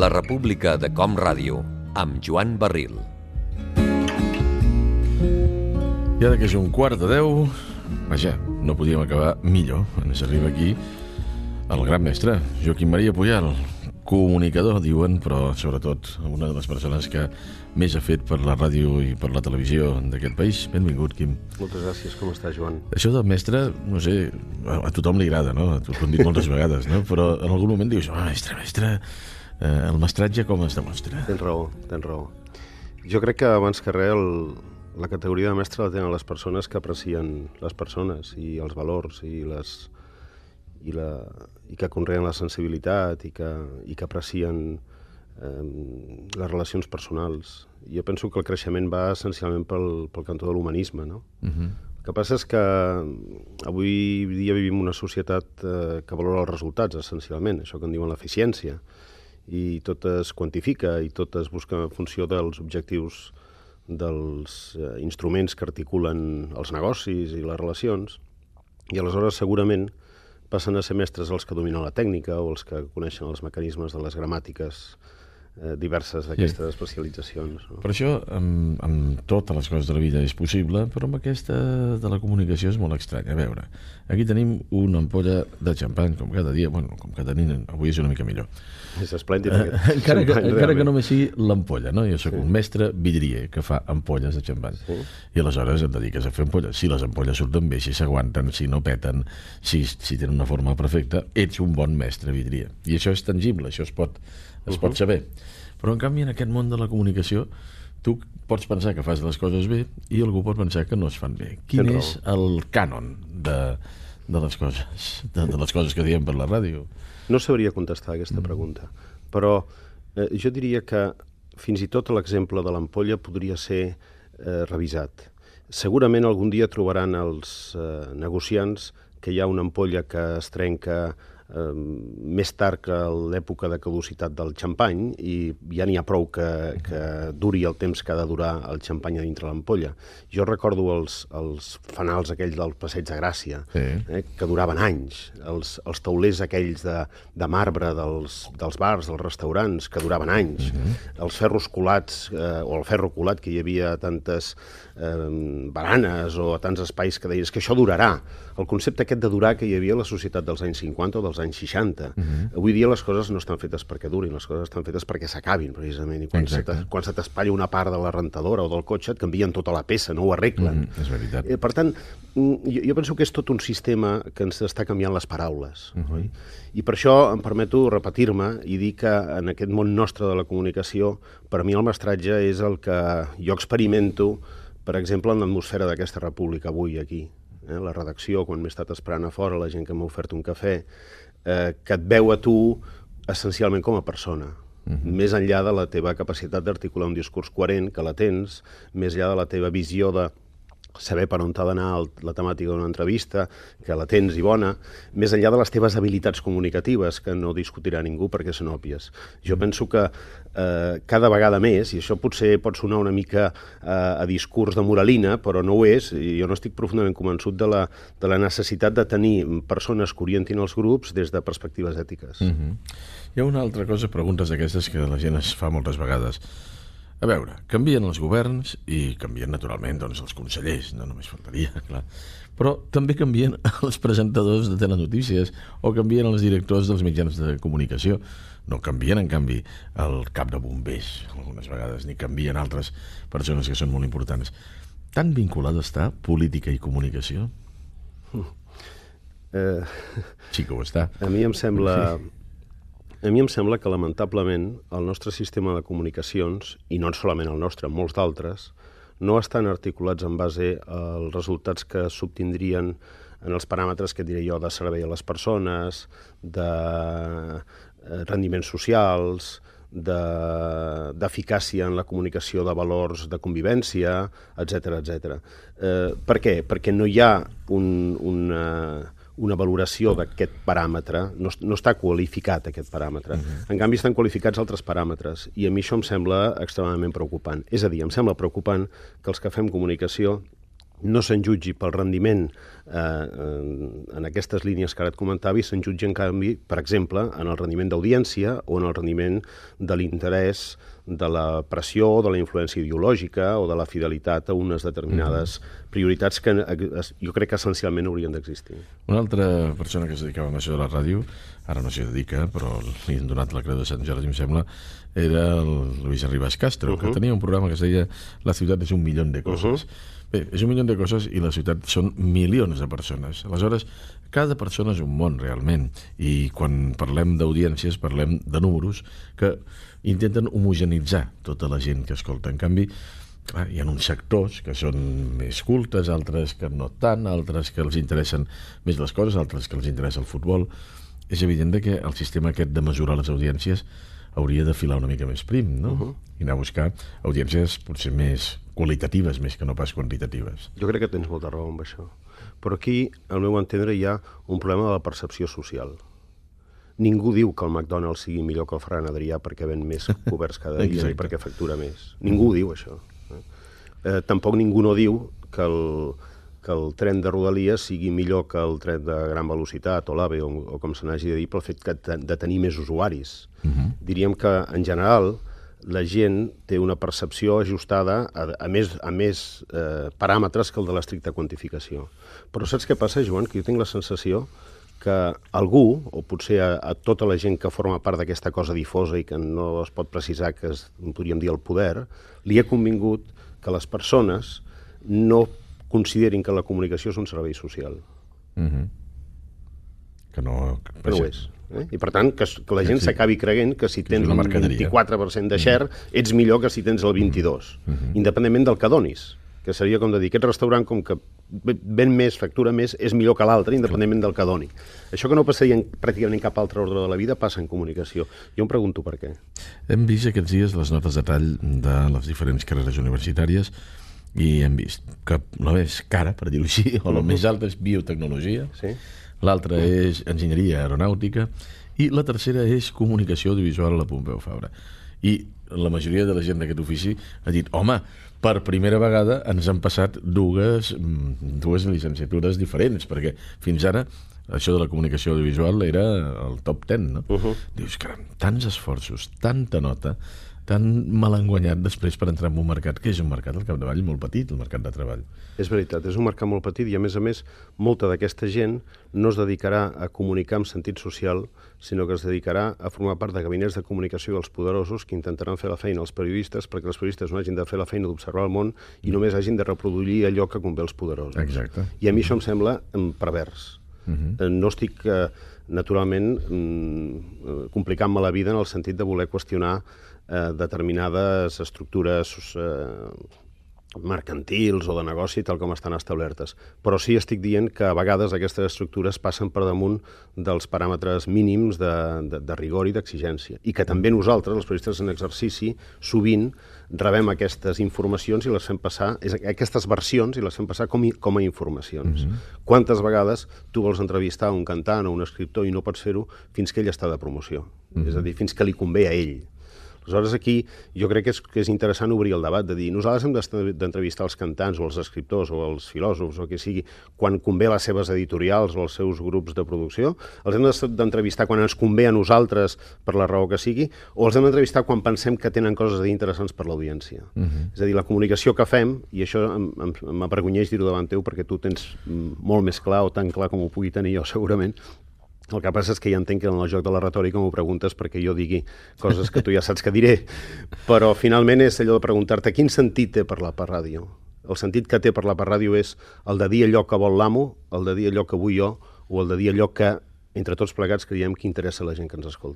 La República de Com Ràdio, amb Joan Barril. I ara que és 11:45, vaja, no podíem acabar millor. Ens arriba aquí el gran mestre, Joaquim Maria Pujal, comunicador, diuen, però sobretot una de les persones que més ha fet per la ràdio i per la televisió d'aquest país. Benvingut, Quim. Moltes gràcies, com estàs, Joan? Això de mestre, no sé, a tothom li agrada, no? T'ho hem dit moltes vegades, no? Però en algun moment dius, mestre, el mestratge com es demostra? Tens raó. Jo crec que abans que res la categoria de mestre la tenen les persones que aprecien les persones i els valors i que conreen la sensibilitat i que aprecien les relacions personals. Jo penso que el creixement va essencialment pel cantó de l'humanisme, no? El que passa és que avui dia vivim una societat que valora els resultats, essencialment, això que en diuen l'eficiència, i tot es quantifica i tot es busca en funció dels objectius dels instruments que articulen els negocis i les relacions, i aleshores segurament passen a ser mestres els que dominen la tècnica o els que coneixen els mecanismes de les gramàtiques diverses d'aquestes especialitzacions. No? Per això, amb totes les coses de la vida és possible, però amb aquesta de la comunicació és molt estrany. A veure, aquí tenim una ampolla de xampany, com cada dia, com cada nit, avui és una mica millor. És esplèndid. Encara que només sigui l'ampolla, no? Jo sóc un mestre vidrier que fa ampolles de xampany. Sí. I aleshores et dediques a fer ampolles. Si les ampolles surten bé, si s'aguanten, si no peten, si tenen una forma perfecta, ets un bon mestre vidrier. I això és tangible, això es pot saber. Però en canvi en aquest món de la comunicació tu pots pensar que fas les coses bé i algú pot pensar que no es fan bé. Quin és el cànon de les coses, de les coses que diem per la ràdio? No sabria contestar aquesta pregunta, però jo diria que fins i tot l'exemple de l'ampolla podria ser revisat. Segurament algun dia trobaran els negociants que hi ha una ampolla que es trenca més tard que l'època de caducitat del xampany i ja n'hi ha prou que duri el temps que ha de durar el xampany a dintre l'ampolla. Jo recordo els fanals aquells del Passeig de Gràcia, que duraven anys, els taulers aquells de marbre dels bars, dels restaurants, que duraven anys, els ferros colats, o el ferro colat, que hi havia tantes baranes o tants espais que deies que això durarà. El concepte aquest de durar que hi havia a la societat dels anys 50 o dels anys 60. Avui dia les coses no estan fetes perquè durin, les coses estan fetes perquè s'acabin, precisament. I quan se t'espatlla una part de la rentadora o del cotxe, et canvien tota la peça, no ho arreglen. És veritat. Per tant, jo penso que és tot un sistema que ens està canviant les paraules. I per això em permeto repetir-me i dir que en aquest món nostre de la comunicació, per mi el mestratge és el que jo experimento, per exemple, en l'atmosfera d'aquesta república avui aquí. La redacció, quan m'he estat esperant a fora, la gent que m'ha ofert un cafè, que et veu a tu essencialment com a persona, més enllà de la teva capacitat d'articular un discurs coherent, que la tens, més enllà de la teva visió de saber per on t'ha d'anar la temàtica d'una entrevista, que la tens i bona, més enllà de les teves habilitats comunicatives, que no discutirà ningú perquè són òbvies. Jo penso que cada vegada més, i això potser pot sonar una mica a discurs de moralina, però no ho és, i jo no estic profundament convençut de la necessitat de tenir persones que orientin els grups des de perspectives ètiques. Hi ha una altra cosa, preguntes d'aquestes que la gent es fa moltes vegades. A veure, canvien els governs i canvien naturalment els consellers, no només faltaria, clar. Però també canvien els presentadors de telenotícies o canvien els directors dels mitjans de comunicació. No canvien, en canvi, el cap de bombers, algunes vegades, ni canvien altres persones que són molt importants. Tan vinculada està política i comunicació? Sí que ho està. A mi em sembla que, lamentablement, el nostre sistema de comunicacions, i no solament el nostre, molts d'altres, no estan articulats en base als resultats que s'obtindrien en els paràmetres que diré jo de servei a les persones, de rendiments socials, d'eficàcia en la comunicació de valors de convivència, etc. Per què? Perquè no hi ha una valoració d'aquest paràmetre, no està qualificat aquest paràmetre. En canvi, estan qualificats altres paràmetres, i a mi això em sembla extremadament preocupant. És a dir, em sembla preocupant que els que fem comunicació no se'n jutgi pel rendiment en aquestes línies que ara et comentava i se'n jutgi, en canvi, per exemple, en el rendiment d'audiència o en el rendiment de l'interès, de la pressió, de la influència ideològica o de la fidelitat a unes determinades prioritats que jo crec que essencialment haurien d'existir. Una altra persona que es dedicava a això de la ràdio, ara no s'hi dedica, però li han donat la creu de Sant Jordi, em sembla, era el Luis Arribas Castro, que tenia un programa que es deia La ciutat és un milió de coses. Bé, és un milió de coses i la ciutat són milions de persones. Aleshores, cada persona és un món, realment. I quan parlem d'audiències, parlem de números que intenten homogenitzar tota la gent que escolta. En canvi, clar, hi ha uns sectors que són més cultes, altres que no tant, altres que els interessen més les coses, altres que els interessa el futbol. És evident que el sistema aquest de mesurar les audiències hauria de filar una mica més prim, no? I anar a buscar audiències potser més qualitatives, més que no pas quantitatives. Jo crec que tens molta raó amb això. Però aquí, al meu entendre, hi ha un problema de la percepció social. Ningú diu que el McDonald's sigui millor que el Ferran Adrià perquè ven més coberts cada dia i perquè factura més. Ningú diu això. Tampoc ningú no diu que el tren de Rodalies sigui millor que el tren de gran velocitat o l'AVE o com se n'hagi de dir pel fet de tenir més usuaris. Diríem que, en general, la gent té una percepció ajustada a més paràmetres que el de l'estricta quantificació. Però saps què passa, Joan? Que jo tinc la sensació que algú, o potser a tota la gent que forma part d'aquesta cosa difosa i que no es pot precisar que podríem dir el poder, li ha convingut que les persones no considerin que la comunicació és un servei social. Que no ho és. I per tant, que la gent s'acabi creient que si tens un 24% de share ets millor que si tens el 22%, independentment del que donis, que seria com de dir, aquest restaurant com que ven més, factura més, és millor que l'altre, independentment del que doni. Això que no passaria pràcticament en cap altre ordre de la vida passa en comunicació. Jo em pregunto per què. Hem vist aquests dies les notes de tall de les diferents carreres universitàries i hem vist que la més cara, per dir-ho així, o la més alta és biotecnologia, l'altra és enginyeria aeronàutica i la tercera és comunicació audiovisual a la Pompeu Fabra. I la majoria de la gent d'aquest ofici ha dit, home, per primera vegada ens han passat dues llicenciatures diferents, perquè fins ara això de la comunicació audiovisual era el top 10, no? Dius, caram, tants esforços, tanta nota, tan mal enguanyat després per entrar en un mercat que és un mercat al capdavall molt petit, el mercat de treball. És veritat, és un mercat molt petit i a més, molta d'aquesta gent no es dedicarà a comunicar en sentit social, sinó que es dedicarà a formar part de gabinets de comunicació dels poderosos que intentaran fer la feina als periodistes perquè els periodistes no hagin de fer la feina d'observar el món i només hagin de reproduir allò que convé als poderosos. Exacte. I a mi això em sembla pervers. No estic, naturalment, complicant-me la vida en el sentit de voler qüestionar determinades estructures mercantils o de negoci tal com estan establertes. Però sí estic dient que a vegades aquestes estructures passen per damunt dels paràmetres mínims de rigor i d'exigència. I que també nosaltres, els periodistes en exercici, sovint rebem aquestes informacions i les fem passar, aquestes versions i les fem passar com a informacions. Quantes vegades tu vols entrevistar un cantant o un escriptor i no pots fer-ho fins que ell està de promoció? És a dir, fins que li convé a ell. Aleshores, aquí jo crec que és interessant obrir el debat, de dir, nosaltres hem d'entrevistar els cantants o els escriptors o els filòsofs o que sigui quan convé les seves editorials o els seus grups de producció, els hem d'entrevistar quan ens convé a nosaltres per la raó que sigui, o els hem d'entrevistar quan pensem que tenen coses a dir interessants per l'audiència. És a dir, la comunicació que fem, i això m'avergonyeix dir-ho davant teu perquè tu tens molt més clar o tan clar com ho pugui tenir jo segurament. El que passa és que ja entenc que en el joc de la retòrica m'ho preguntes perquè jo digui coses que tu ja saps que diré, però finalment és allò de preguntar-te quin sentit té parlar per ràdio. El sentit que té parlar per ràdio és el de dir allò que vol l'amo, el de dir allò que vull jo, o el de dir allò que, entre tots plegats, creiem que interessa a la gent que ens escolta.